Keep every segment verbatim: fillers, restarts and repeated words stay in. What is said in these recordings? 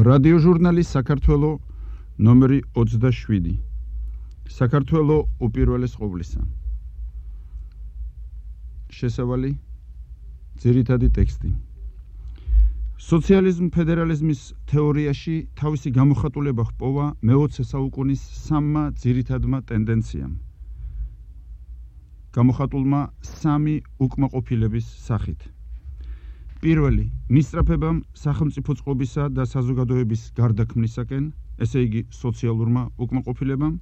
რადიოჟურნალი საქართველო ნომერი ოცდაშვიდი. საქართველო უპირველეს ყოვლისა. შესავალი ძირითადი ტექსტი. სოციალიზმ ფედერალიზმის თეორიაში თავისი გამოხატულება ჰპოვა მეოცე საუკუნის სამმა ძირითადმა ტენდენციამ. გამოხატულმა სამი უკმაყოფილების სახით. პირველი, მისწრაფებამ სახელმწიფო წყობისა და საზოგადოების გარდაქმნისაკენ, ესე იგი სოციალურმა უკმაყოფილებამ,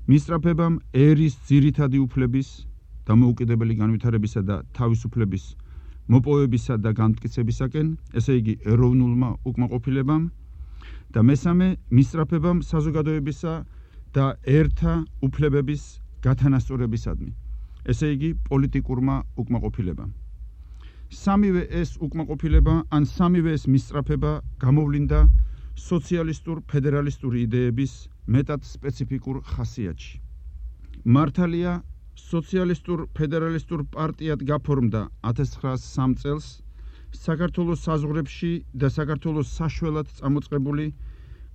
მისწრაფებამ ერის ძირითადი უფლების, დამოუკიდებელი განვითარებისა და თავისუფლების მოპოვებისა და განმტკიცებისაკენ, ესე იგი ეროვნულმა უკმაყოფილებამ და მესამე, მისწრაფებამ საზოგადოებისა და ერთა უფლებების გათანასწორებისადმი, ესე იგი პოლიტიკურმა უკმაყოფილებამ. სამივე ეს უკმაყოფილება ან სამივე ეს მისწრაფება გამოვლინდა სოციალისტურ ფედერალისტური იდეების მეტად სპეციფიკურ ხასიათში. მართალია სოციალისტურ ფედერალისტურ პარტიად გაფორმდა ათას ცხრაასი სამი წელს საქართველოს საზღვრებში და საქართველოს საშველად წამოწყებული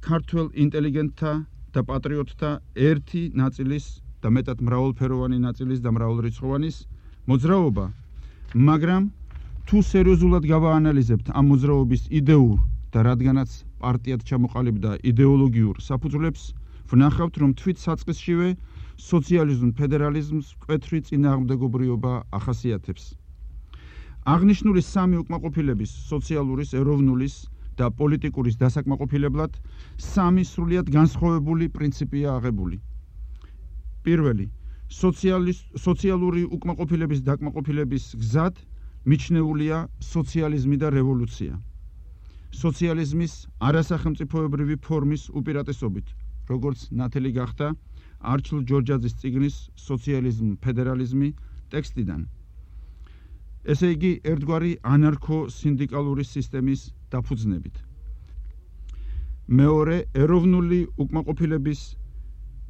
ქართველ ინტელიგენტთა და პატრიოტთა ერთი ნაწილის და მეტად მრავალფეროვანი ნაწილის და მრავალრიცხოვანის მოძრაობა, მაგრამ თუ სერიოზულად გავაანალიზებთ ამ მოძრაობის იდეურ და რადგანაც პარტიად ჩამოყალიბდა იდეოლოგიურ საფუძვლებს, ვნახავთ, რომ თვით საწყისშივე სოციალიზმ ფედერალიზმს მკვეთრი წინააღმდეგობრიობა ახასიათებს. აღნიშნული სამი უკმაყოფილების, სოციალურის, ეროვნულის და პოლიტიკურის დასაკმაყოფილებლად სამი სრულიად განსხვავებული პრინციპია აღებული. პირველი, სოციალური უკმაყოფილების დაკმაყოფილების გზად მიჩნეულია სოციალიზმი და რევოლუცია. სოციალიზმის არასახელმწიფოებრივი ფორმის უპირატესობით, როგორც ნათელი გახდა არჩილ ჯორჯაძის წიგნის სოციალიზმ ფედერალიზმი ტექსტიდან. ესე იგი, ერთგვარი ანარქო-სინდიკალური სისტემის დაფუძნებით. მეორე, ეროვნული უკმაყოფილების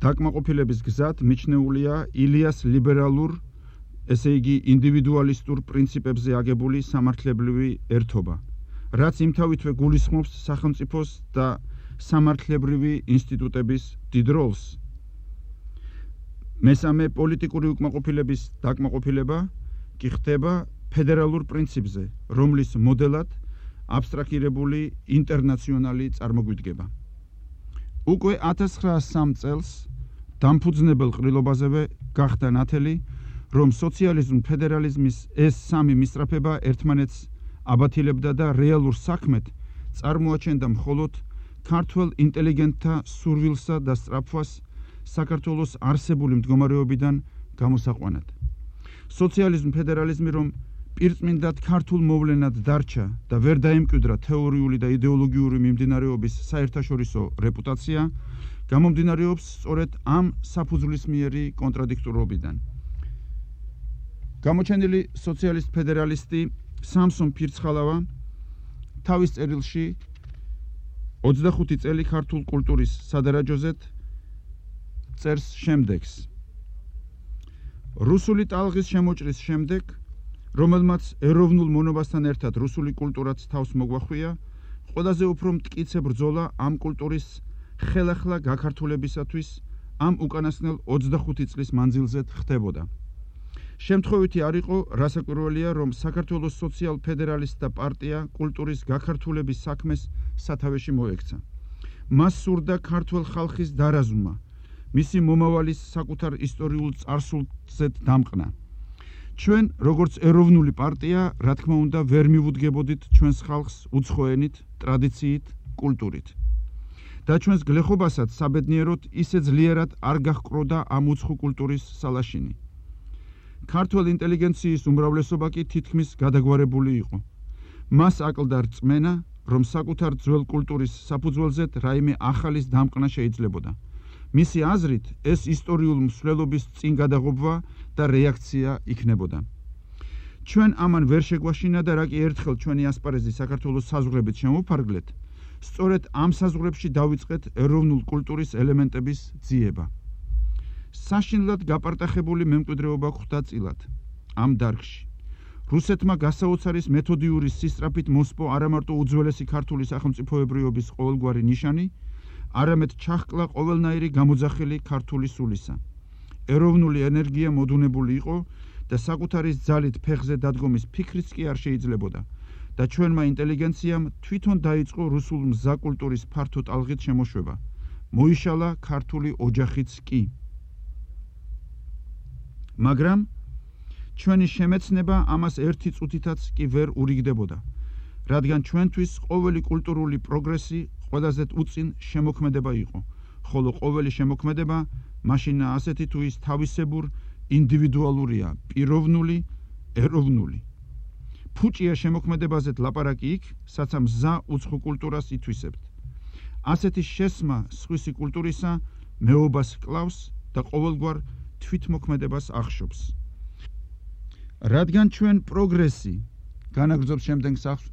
დაკმაყოფილების გზად მიჩნეულია ილიას ლიბერალურ, ესე იგი ინდივიდუალისტურ პრინციპებზე აგებული სამართლებრივი ერთობა, რაც იმთავითვე გულისხმობს სახელმწიფოს და სამართლებრივი ინსტიტუტების დიდ როლს. მესამე, პოლიტიკური უკმაყოფილების დაკმაყოფილება კი ხდება ფედერალურ პრინციპზე, რომლის მოდელად აბსტრაქირებული ინტერნაციონალი წარმოგვიდგება. უკვე ათას ცხრაასი სამი წელს დამფუძნებელ ყრილობაზევე გახდა ნათელი, რომ სოციალიზმ ფედერალიზმის ეს სამი მისწრაფება ერთმანეთს აბათილებდა და რეალურ საქმეთ წარმოაჩენდა მხოლოდ ქართველ ინტელიგენტთა სურვილსა და სწრაფვას საქართველოს არსებული მდგომარეობიდან გამოსაყვანად. სოციალიზმ ფედერალიზმი რომ პირწმინდად ქართულ მოვლენად დარჩა და ვერ დაემკვიდრა თეორიული და იდეოლოგიური მიმდინარეობის საერთაშორისო რეპუტაცია, გამომდინარეობს სწორედ ამ საფუძვლისმიერი კონტრადიქტურობიდან. გამოჩენილი სოციალისტ ფედერალისტი სამსონ ფირცხალავა თავის წერილში ოცდახუთი წელი ქართულ კულტურის სადარაჯოზეთ წერს შემდეგს. რუსული ტალღის შემოჭრის შემდეგ, რომელმაც ეროვნულ მონობასთან ერთად რუსული კულტურაც თავს მოგვახვია, ყველაზე უფრო მტკიცე ბრძოლა ამ კულტურის ხელახლა გაქართულებისათვის ამ უკანასკნელ ოცდახუთი წლის მანძილზე ხდებოდა. შემთხვევითი არ იყო, რასაკვირველია, რომ საქართველოს სოციალ-ფედერალისტთა პარტია კულტურის გაქართულების საქმეს სათავეში მოექცა. მას სურდა ქართველ ხალხის დარაზვმა, მისი მომავალის საკუთარ ისტორიულ წარსულზედ დამყნა. ჩვენ, როგორც ეროვნული პარტია, რა თქმა უნდა, ვერ მივუდგებოდით ჩვენს ხალხს უცხოენით, ტრადიციით, კულტურით. და ჩვენს გლეხობასაც საბედნიეროდ ისე ძლიერად არ გაჰყროდა ამ უცხო კულტურის სალაშინი. ქართველ ინტელიგენციის უმრავლესობა კი თითქმის გადაგვარებული იყო. მას აკლდა რწმენა, რომ საკუთარ ძველ კულტურის საფუძველზედ რაიმე ახალის დამყნა შეიძლებოდა. მისი აზრით, ეს ისტორიულ მსვლელობის წინ გადაღობა და რეაქცია იქნებოდა. ჩვენ ამან ვერ შეგვაშინა და რა კი ერთხელ ჩვენი ასპარეზი საქართველოს საზღვრებით შემოვფარგლეთ, სწორედ ამ საზღვრებში დავიწყეთ ეროვნულ კულტურის ელემენტების ძიება. საშინლად გაპარტახებული მემკვიდრეობა გვხვდა წილად ამ დარგში. რუსეთმა გასაოცარის მეთოდიური სისწრაფით მოსპო არამარტო უძველესი ქართული სახელმწიფოებრიობის ყოველგვარი ნიშანი, არამედ ჩახკლა ყოველნაირი გამოძახილი ქართული სულისა. ეროვნული ენერგია მოდუნებული იყო და საკუთარი ძალით ფეხზე დადგომის ფიქრიც კი არ შეიძლებოდა და ჩვენმა ინტელიგენციამ თვითონ დაიწყო რუსულ მზა კულტურის ფართო ტალღით შემოშვება. მოიშალა ქართული ოჯახიც კი. მაგრამ ჩვენი შემეცნება ამას ერთი წუთითაც კი ვერ ურიგდებოდა, რადგან ჩვენთვის ყოველი კულტურული პროგრესი ყველაზე უწინ შემოქმედება იყო, ხოლო ყოველი შემოქმედება მაშინ ასეთი თუ ის თავისებურ ინდივიდუალურია, პიროვნული, ეროვნული. ფუჭია შემოქმედებაზეთ ლაპარაკი იქ, საცა მზა უცხო კულტურას ითვისებთ. ასეთი შესმა სხვისი კულტურისა მეობას კლავს და ყოველგვარ თვითმოქმედებას ახშობს. რადგან ჩვენ პროგრესი, განაგრძობს შემდეგ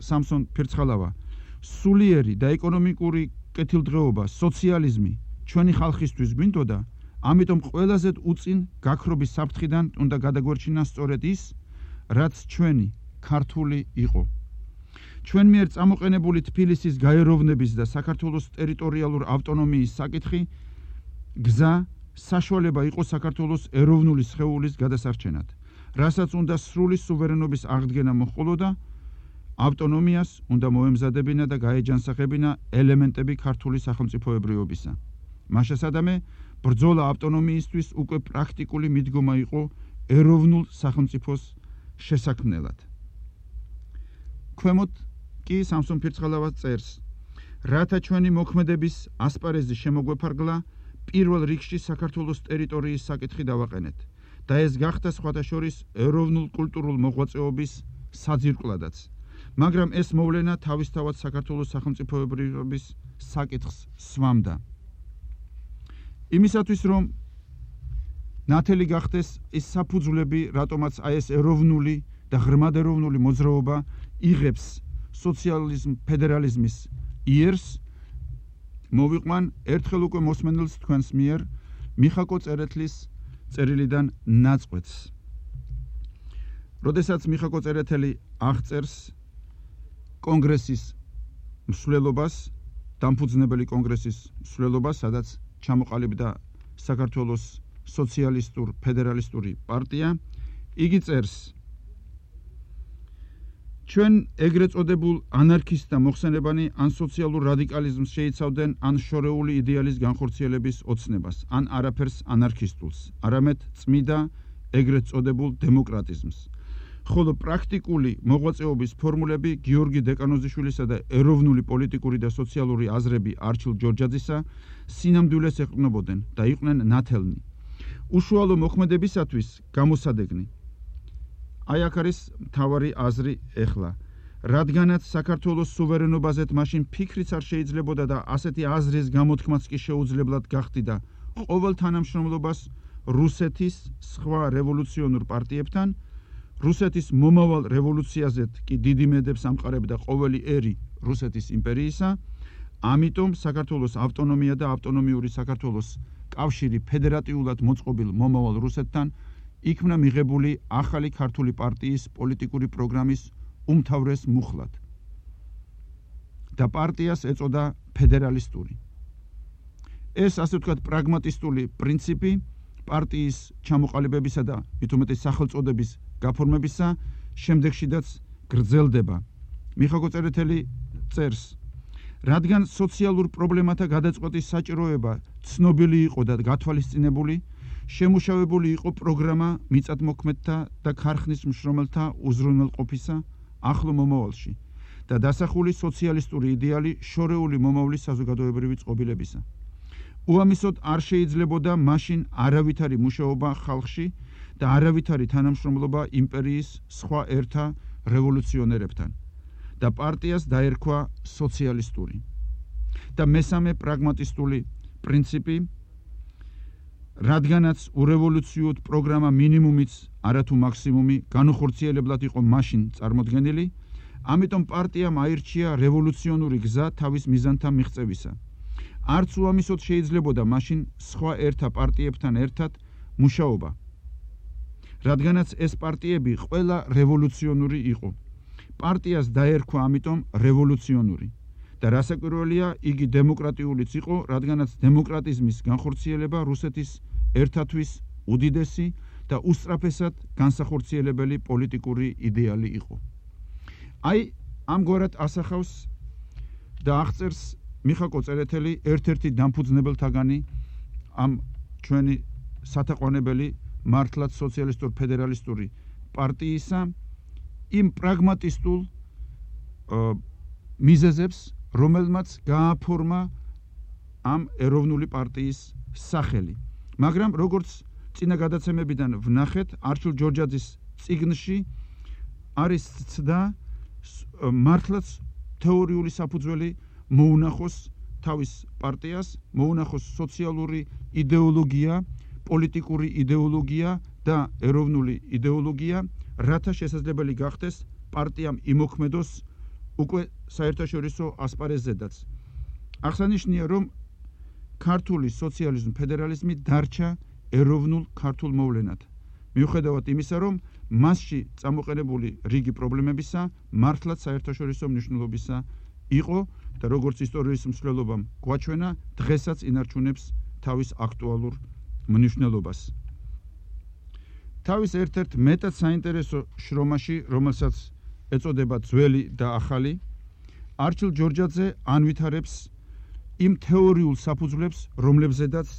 სამსონ ფირცხალავა, სულიერი და ეკონომიკური კეთილდღეობა, სოციალიზმი ჩვენი ხალხისთვის გვინდოდა, ამიტომ ყველაზე უწინ გაქრობის საფრთხიდან უნდა გადაგვერჩინა სწორედ ის, რაც ჩვენი ქართული იყო. ჩვენ მიერ წამოყენებული თბილისის გაეროვნების და საქართველოს ტერიტორიალურ ავტონომიის საკითხი გზა საშუალება იყო საქართველოს ეროვნული სხეულის გადასარჩენად, რასაც უნდა სრული სუვერენობის აღდგენა მოჰყოლოდა, ავტონომიას უნდა მოემზადებინა და გაეჯანსაღებინა ელემენტები ქართული სახელმწიფოებრიობისა. მაშასადამე ბრძოლა ავტონომიისთვის უკვე პრაქტიკული მიდგომა იყო ეროვნულ სახელმწიფოს შესაქმნელად. ქვემოთ კი სამსონ ფირცხალავა წერს, რათა ჩვენი მოქმედების ასპარეზი შემოგვეფარგლა, პირველ რიგში საქართველოს ტერიტორიის საკითხი დავაყენეთ და ეს გახდა სხვათა შორის ეროვნულ კულტურულ მოღვაწეობის საძირკვლადაც. მაგრამ ეს მოვლენა თავისთავად საქართველოს სახელმწიფოებრიობის საკითხს სვამდა. იმისათვის რომ ნათელი გახდეს ის საფუძვლები, რატომაც აი ეს ეროვნული და ღრმად ეროვნული მოძრაობა იღებს სოციალიზმ ფედერალიზმის იერს, მოვიყვან ერთხელ უკვე მოსმენელს თქვენს მიერ მიხაკო წერეთლის წერილიდან ნაწყვეტს. როდესაც მიხაკო წერეთელი აღწერს კონგრესის მსვლელობას, დამფუძნებელი კონგრესის მსვლელობას, სადაც ჩამოყალიბდა საქართველოს სოციალისტურ ფედერალისტური პარტია, იგი წერს: ჩვენ ეგრეთ წოდებულ ანარქისტთა მოხსენებანი ან სოციალურ რადიკალიზმს შეიცავდნენ, ან შორეული იდეალის განხორციელების ოცნებას, ან არაფერს ანარქისტულს, არამედ წმიდა ეგრეთ წოდებულ დემოკრატიზმს. ხოლო პრაქტიკული მოღვაწეობის ფორმულები გიორგი დეკანოზიშვილისა და ეროვნული პოლიტიკური და სოციალური აზრები არჩილ ჯორჯაძისა სინამდვილეს ეყრდნობოდნენ და იყვნენ ნათელნი. უშუალო მოქმედებისათვის გამოსადეგნი. აი აქ არის მთავარი აზრი ეხლა. რადგანაც საქართველოს სუვერენობაზეთ მაშინ ფიქრიც არ შეიძლებოდა და ასეთი აზრის გამოთქმაც კი შეუძლებლად გახდიდა ყოველ თანამშრომლობას რუსეთის სხვა რევოლუციონურ პარტიებთან, რუსეთის მომავალ რევოლუციაზეთ კი დიდი მედებს ამყარებდა ყოველი ერი რუსეთის იმპერიისა, ამიტომ საქართველოს ავტონომია და ავტონომიური საქართველოს კავშირი ფედერატიულად მოწყობილ მომავალ რუსეთთან იქმნა მიღებული ახალი ქართული პარტიის პოლიტიკური პროგრამის უმთავრეს მუხლად და პარტიას ეწოდა ფედერალისტური. ეს ასე ვთქვათ პრაგმატისტული პრინციპი პარტიის ჩამოყალიბებისა და მით უმეტეს სახელწოდების გაფორმებისა შემდეგშიდაც გრძელდება. მიხაკო წერეთელი წერს: რადგან სოციალურ პრობლემათა გადაწყვეტის საჭიროება ცნობილი იყო და გათვალისწინებული, შემუშავებული იყო პროგრამა მიწათმოქმედთა და ქარხნის მშრომელთა უზრუნველყოფისა ახლო მომავალში და დასახული სოციალისტური იდეალი შორეული მომავლის საზოგადოებრივი წყობილებისა. უამისოდ არ შეიძლებოდა მაშინ არავითარი მუშაობა ხალხში და არავითარი თანამშრომლობა იმპერიის სხვა ერთა რევოლუციონერებთან და პარტიას დაერქვა სოციალისტური. და მესამე პრაგმატისტული პრინციპი, რადგანაც ურევოლუციოდ პროგრამა მინიმუმიც არათუ მაქსიმუმი განუხორციელებლად იყო მაშინ წარმოდგენილი, ამიტომ პარტიამ აირჩია რევოლუციონური გზა თავის მიზანთა მიღწევისა. არც უამისოდ შეიძლებოდა მაშინ სხვა ერთა პარტიებთან ერთად მუშაობა. რადგანაც ეს პარტიები ყველა რევოლუციონური იყო. პარტიას დაერქვა ამიტომ რევოლუციონური. და რასაკვირველია, იგი დემოკრატიულიც იყო, რადგანაც დემოკრატიზმის განხორციელება რუსეთის ერთათვის უდიდესი და უსწრაფესად განსახორციელებელი პოლიტიკური იდეალი იყო. აი, ამგვარად ასახავს და აღწერს მიხაკო წერეთელი ერთ-ერთი დამფუძნებელთაგანი ამ ჩვენი სათაყვანებელი მართლაც სოციალისტურ ფედერალისტური პარტიისა იმ პრაგმატისტულ მიზეზებს, რომელმაც გააფორმა ამ ეროვნული პარტიის სახელი. მაგრამ როგორც წინა გადაცემებიდან ვნახეთ, არჩილ ჯორჯაძის წიგნში არის ცდა მართლაც თეორიული საფუძველი მოუნახოს თავის პარტიას, მოუნახოს სოციალური იდეოლოგია, პოლიტიკური იდეოლოგია და ეროვნული იდეოლოგია, რათა შესაძლებელი გახდეს პარტიამ იმოქმედოს უკვე საერთაშორისო ასპარეზზედაც. აღსანიშნია, რომ ქართული სოციალიზმი ფედერალიზმი დარჩა ეროვნულ ქართულ მოვლენად. მიუხედავად იმისა, რომ მასში წამოყენებული რიგი პრობლემებისა მართლაც საერთაშორისო მნიშვნელობისა იყო და როგორც ისტორიის მსვლელობამ გვაჩვენა, დღესაც ინარჩუნებს თავის აქტუალურ მნიშვნელობას. თავის ერთ-ერთ მეტად საინტერესო შრომაში, რომელსაც ეწოდება ძველი და ახალი, არჩილ ჯორჯაძე ანვითარებს იმ თეორიულ საფუძვლებს, რომლებზედაც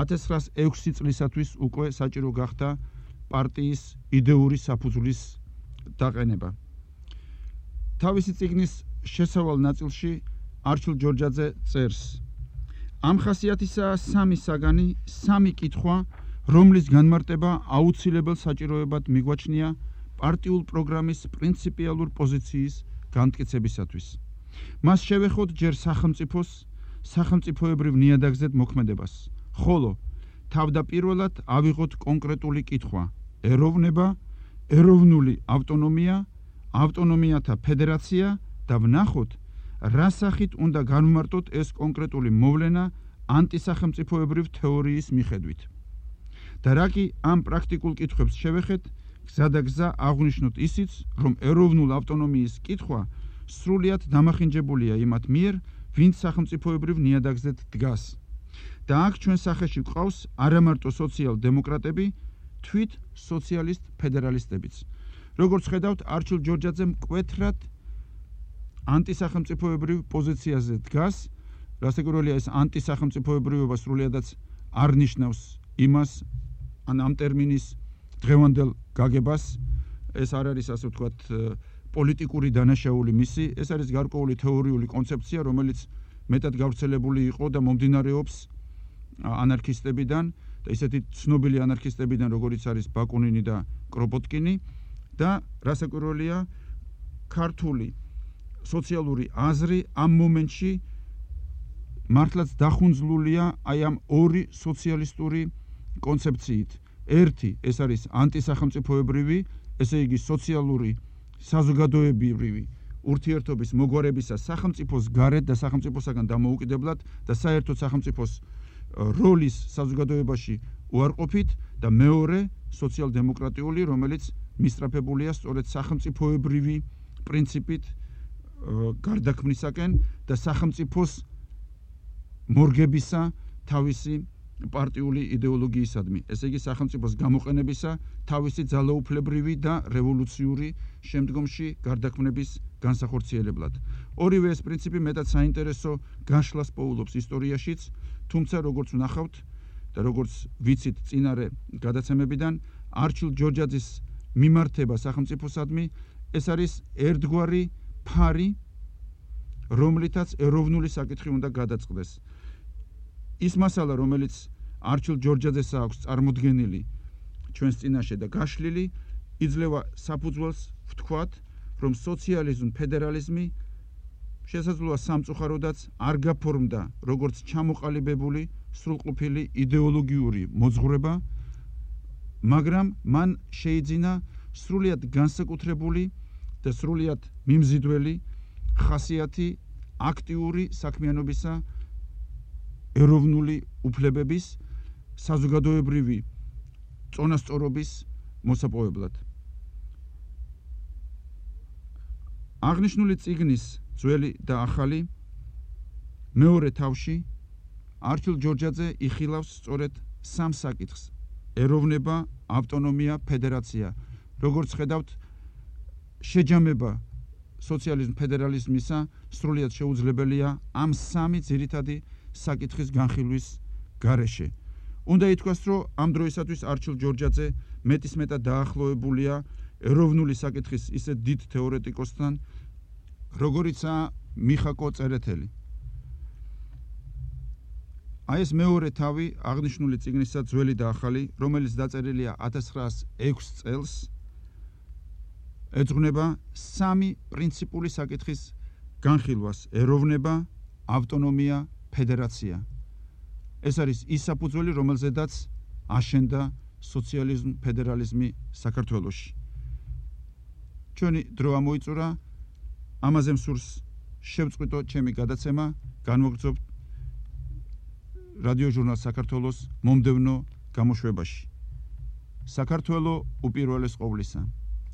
ათას ცხრაას ექვსი წლისათვის უკვე საჭირო გახდა პარტიის იდეური საფუძვლის დაყენება. თავისი წიგნის შესავალ ნაწილში არჩილ ჯორჯაძე წერს: ამ ხასიათისაა სამი საგანი, სამი კითხვა, რომლის განმარტება აუცილებელ საჭიროებად მიგვაჩნია პარტიულ პროგრამის პრინციპიალურ პოზიციის განმტკიცებისათვის. მას შევეხოთ ჯერ სახელმწიფოს, სახელმწიფოებრივ ნიადაგზედ მოქმედებას, ხოლო თავდაპირველად ავიღოთ კონკრეტული კითხვა: ეროვნება, ეროვნული ავტონომია, ავტონომიათა ფედერაცია და ვნახოთ, რა სახით უნდა განვმარტოთ ეს კონკრეტული მოვლენა ანტისახელმწიფოებრივ თეორიის მიხედვით. და რა კი ამ პრაქტიკულ კითხვებს შევეხეთ, გზა და გზა აღვნიშნოთ ისიც, რომ ეროვნულ ავტონომიის კითხვა სრულიად დამახინჯებულია იმათ მიერ, ვინც სახელმწიფოებრივ ნიადაგზედ დგას. და აქ ჩვენ სახეში გვყავს არამარტო სოციალ-დემოკრატები, თვით სოციალისტ ფედერალისტებიც. როგორც ხედავთ, არჩილ ჯორჯაძე მკვეთრად ანტისახელმწიფოებრივ პოზიციაზე დგას. რასაკვირველია, ეს ანტისახელმწიფოებრიობა სრულიადაც არ ნიშნავს იმას, ან ამ ტერმინის დღევანდელ გაგებას, ეს არ არის, ასე ვთქვათ, პოლიტიკური დანაშაული მისი, ეს არის გარკვეული თეორიული კონცეფცია, რომელიც მეტად გავრცელებული იყო და მომდინარეობს ანარქისტებიდან და ისეთი ცნობილი ანარქისტებიდან, როგორიც არის ბაკუნინი და კროპოტკინი და რასაკვირველია, ქართული სოციალური აზრი ამ მომენტში მართლაც დახუნძლულია აი ამ ორი სოციალისტური კონცეფციით. ერთი, ეს არის ანტისახელმწიფოებრივი, ესე იგი სოციალური საზოგადოებრივი ურთიერთობის მოგვარებისა სახელმწიფოს გარეთ და სახელმწიფოსაგან დამოუკიდებლად და საერთოდ სახელმწიფოს როლის საზოგადოებაში უარყოფით და მეორე სოციალ-დემოკრატიული, რომელიც მისწრაფებულია სწორედ სახელმწიფოებრივი პრინციპით გარდაქმნისაკენ და სახელმწიფოს მორგებისა თავისი პარტიული იდეოლოგიისადმი, ესე იგი სახელმწიფოს გამოყენებისა თავისი ძალაუფლებრივი და რევოლუციური შემდგომში გარდაქმნების განსახორციელებლად. ორივე ეს პრინციპი მეტად საინტერესო გაშლას პოულობს ისტორიაშიც, თუმცა როგორც ვნახავთ და როგორც ვიცით წინარე გადაცემებიდან, არჩილ ჯორჯაძის მიმართება სახელმწიფოსადმი ეს არის ერთგვარი ფარი, რომლითაც ეროვნული საკითხი უნდა გადაწყდეს. ის მასალა, რომელიც არჩილ ჯორჯაძეს აქვს წარმოდგენილი ჩვენს წინაშე და გაშლილი, იძლევა საფუძველს ვთქვათ, რომ სოციალიზმ, ფედერალიზმი შესაძლოა სამწუხაროდაც არ გაფორმდა როგორც ჩამოყალიბებული სრულყოფილი იდეოლოგიური მოძღვრება, მაგრამ მან შეიძინა სრულიად განსაკუთრებული და სრულიად მიმზიდველი ხასიათი აქტიური საქმიანობისა, ეროვნული უფლებების, საზოგადოებრივი წონასწორობის მოსაპოვებლად. აღნიშნული წიგნის ძველი და ახალი მეორე თავში არჩილ ჯორჯაძე იხილავს სწორედ სამ საკითხს: ეროვნება, ავტონომია, ფედერაცია. როგორც ხედავთ, შეჯამება სოციალიზმ ფედერალიზმისა სრულიად შეუძლებელია ამ სამი ძირითადი საკითხის განხილვის გარეშე. უნდა ითქვას, რომ ამ დროისათვის არჩილ ჯორჯაძე მეტისმეტად დაახლოებულია ეროვნული საკითხის ისეთ დიდ თეორეტიკოსთან, როგორიცაა მიხაკო წერეთელი. აი ეს მეორე თავი აღნიშნული წიგნისა ძველი და ახალი, რომელიც დაწერილია ათას ცხრაას ექვს წელს, ეძღვნება სამი პრინციპული საკითხის განხილვას: ეროვნება, ავტონომია, ფედერაცია. ეს არის ის საფუძველი, რომელზედაც აშენდა სოციალიზმ ფედერალიზმი საქართველოში. ჩვენი დრო ამოიწურა, ამაზე მსურს შევწყვიტო ჩემი გადაცემა, განვაგრძობთ რადიო ჟურნალ საქართველოს მომდევნო გამოშვებაში. საქართველო უპირველეს ყოვლისა.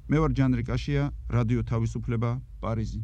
მე ვარ ჯანრი კაშია, რადიო თავისუფლება, პარიზი.